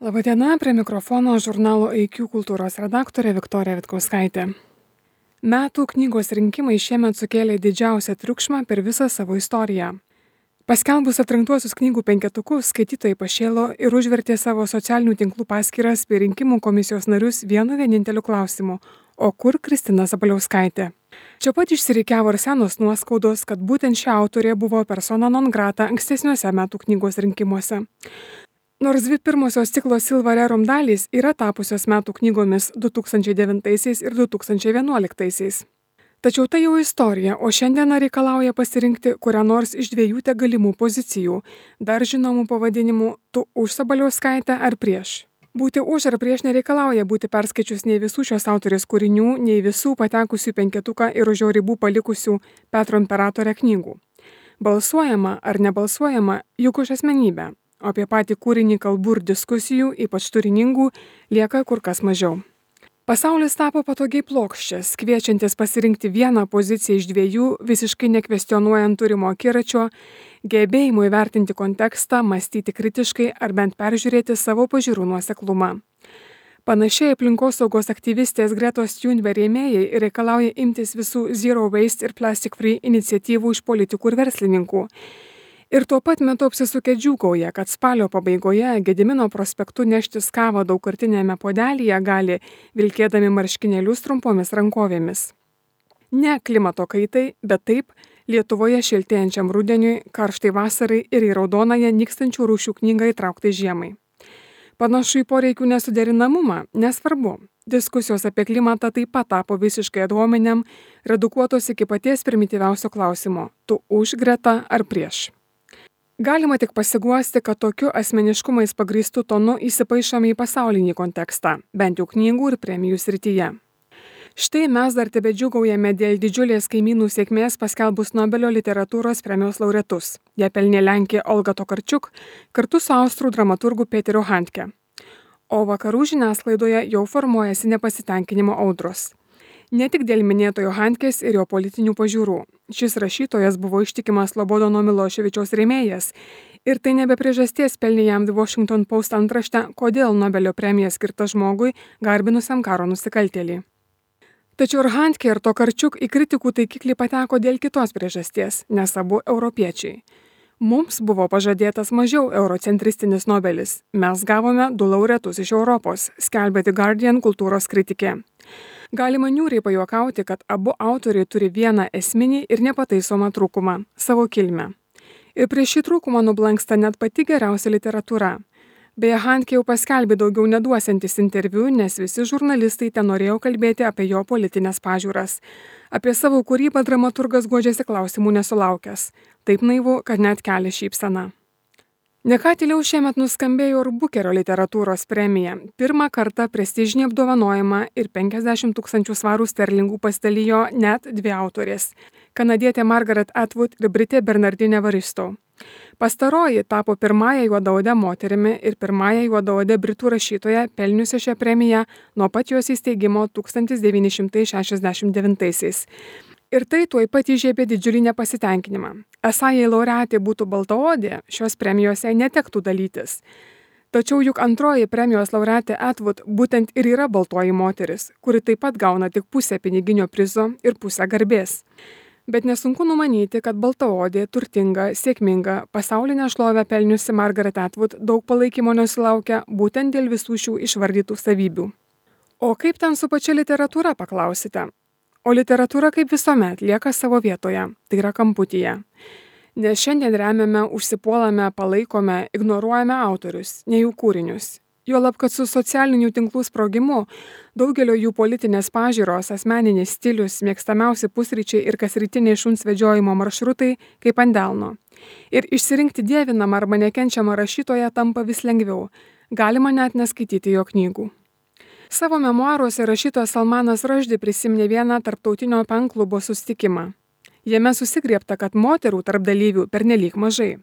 Labadiena, prie mikrofono žurnalo IQ kultūros redaktorė Viktorija Vitkauskaitė. Metų knygos rinkimai šiemet sukėlė didžiausią triukšmą per visą savo istoriją. Paskelbus atrinktuosius knygų penketukus, skaitytojai pašėlo ir užvertė savo socialinių tinklų paskyras bei rinkimų komisijos narius vienu vieninteliu klausimu: o kur Kristina Sabaliauskaitė? Čia pat išsirikiavo ir senos nuoskaudos, kad būtent ši autorė buvo persona non grata ankstesniuose metų knygos rinkimuose. Nors dvi pirmosios ciklo Silva Rerum dalys yra tapusios metų knygomis 2009 ir 2011. Tačiau tai jau istorija, o šiandieną reikalauja pasirinkti kurią nors iš dviejų galimų pozicijų, dar žinomų pavadinimų "Tu už Sabaliauskaitę ar prieš". Būti už ar prieš nereikalauja būti perskaičius nei visų šios autorės kūrinių, nei visų patekusių penketuką ir už jo ribų palikusių Petro Imperatorę knygų. Balsuojama ar nebalsuojama juk už asmenybę. O apie patį kūrinį kalbų ir diskusijų, ypač turiningų, lieka kur kas mažiau. Pasaulis tapo patogiai plokščias, kviečiantis pasirinkti vieną poziciją iš dviejų, visiškai nekvestionuojant turimo akiračio, gebėjimo įvertinti kontekstą, mąstyti kritiškai ar bent peržiūrėti savo pažiūrų nuoseklumą. Panašiai aplinkosaugos aktyvistės Gretos Thunberg rėmėjai reikalauja imtis visų Zero Waste ir Plastic Free iniciatyvų iš politikų ir verslininkų. Ir tuo pat metu apsisukę džiūgauja, kad spalio pabaigoje Gedimino prospektu neštis kavą daugkartinėme puodelyje gali, vilkėdami marškinėlius trumpomis rankovėmis. Ne klimato kaitai, bet taip Lietuvoje šiltėjančiam rudeniui, karštai vasarai ir į raudonąją nykstančių rūšių knygą įtrauktai žiemai. Panašu į poreikių nesuderinamumą, nesvarbu. Diskusijos apie klimatą taip pat tapo visiškai ad hominem, redukuotos iki paties primityviausio klausimo: tu už Greta ar prieš? Galima tik pasiguosti, kad tokiu asmeniškumais pagrįstų tonu įsipaišome į pasaulinį kontekstą, bent jau knygų ir premijų srityje. Štai mes dar tebedžiūgaujame dėl didžiulės kaimynų sėkmės paskelbus Nobelio literatūros premijos laureatus. Ją pelnė Lenkė Olga Tokarczuk kartu su austrų dramaturgu Peteriu Handke. O vakarų žiniasklaidoje jau formuojasi nepasitenkinimo audros. Ne tik dėl minėtojo Handkės ir jo politinių pažiūrų. Šis rašytojas buvo ištikimas Slobodono Miloševičiaus rėmėjas ir tai nebe priežasties pelnė jam The Washington Post antraštę, kodėl Nobelio premija skirta žmogui garbinusiam karo nusikaltėlį. Tačiau ir Handke ir Tokarczuk į kritikų taikiklį pateko dėl kitos priežasties, nes abu europiečiai. Mums buvo pažadėtas mažiau eurocentristinis Nobelis. Mes gavome 2 laureatus iš Europos, skelbė The Guardian kultūros kritikė. Galima niūriai pajuokauti, kad abu autoriai turi vieną esminį ir nepataisomą trūkumą – savo kilmę. Ir prieš šį trūkumą nublanksta net pati geriausia literatūra. Beje, Handke jau paskelbė daugiau neduosiantis interviu, nes visi žurnalistai ten norėjo kalbėti apie jo politinės pažiūras. Apie savo kūrybą dramaturgas guodžiasi klausimų nesulaukęs. Taip naivu, kad net kelia šypseną. Ne ką tyliau šiemet nuskambėjo ir Bukerio literatūros premija. Pirmą kartą prestižinį apdovanojimą ir 50 000 svarų sterlingų pasidalijo net 2 autorės – kanadietė Margaret Atwood ir britė Bernardine Evaristo. Pastaroji tapo pirmąją juodaodę moterimi ir pirmąją juodaodę britų rašytoją pelniusią šią premiją nuo pat jos įsteigimo 1969. Ir tai tuoj pat įžiebė didžiulį nepasitenkinimą. Esą jei laureatė būtų baltaodė, šios premijos jai netektų dalytis. Tačiau juk antroji premijos laureatė Atwood būtent ir yra baltoji moteris, kuri taip pat gauna tik pusę piniginio prizo ir pusę garbės. Bet nesunku numanyti, kad baltaodė, turtinga, sėkminga, pasaulinę šlovę pelniusi Margaret Atwood daug palaikymo nesulaukia būtent dėl visų šių išvardytų savybių. O kaip ten su pačia literatūra, paklausite? O literatūra kaip visuomet lieka savo vietoje, tai yra kamputyje. Nes šiandien remiame, užsipuolame, palaikome, ignoruojame autorius, ne jų kūrinius. Juolab, kad su socialinių tinklų sprogimu daugelio jų politinės pažiūros, asmeninis stilius, mėgstamiausi pusryčiai ir kasrytiniai šuns vedžiojimo maršrutai kaip ant delno. Ir išsirinkti dievinamą arba nekenčiamą rašytoją tampa vis lengviau. Galima net neskaityti jo knygų. Savo memuaruose rašytojas Salmanas Rushdie prisiminė vieną tarptautinio penklubo susitikimą. Jame susigriebta, kad moterų tarp dalyvių pernelyg mažai.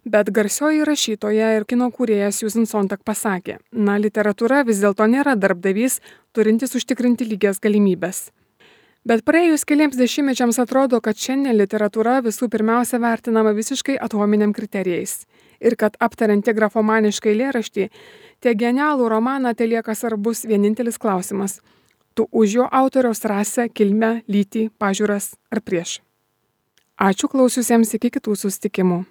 Bet garsioji rašytoja ir kino kūrėjas Susan Sontag pasakė, literatūra vis dėlto nėra darbdavys, turintis užtikrinti lygias galimybes. Bet praėjus keliems dešimtmečiams atrodo, kad šiandien literatūra visų pirmiausia vertinama visiškai atominiam kriterijais. Ir kad aptariant tiek grafomanišką eilėraštį, tiek genialų romaną telieka svarbus vienintelis klausimas. Tu už jo autoriaus rasę, kilmę, lytį, pažiūras ar prieš. Ačiū klausiusiems, iki kitų susitikimų.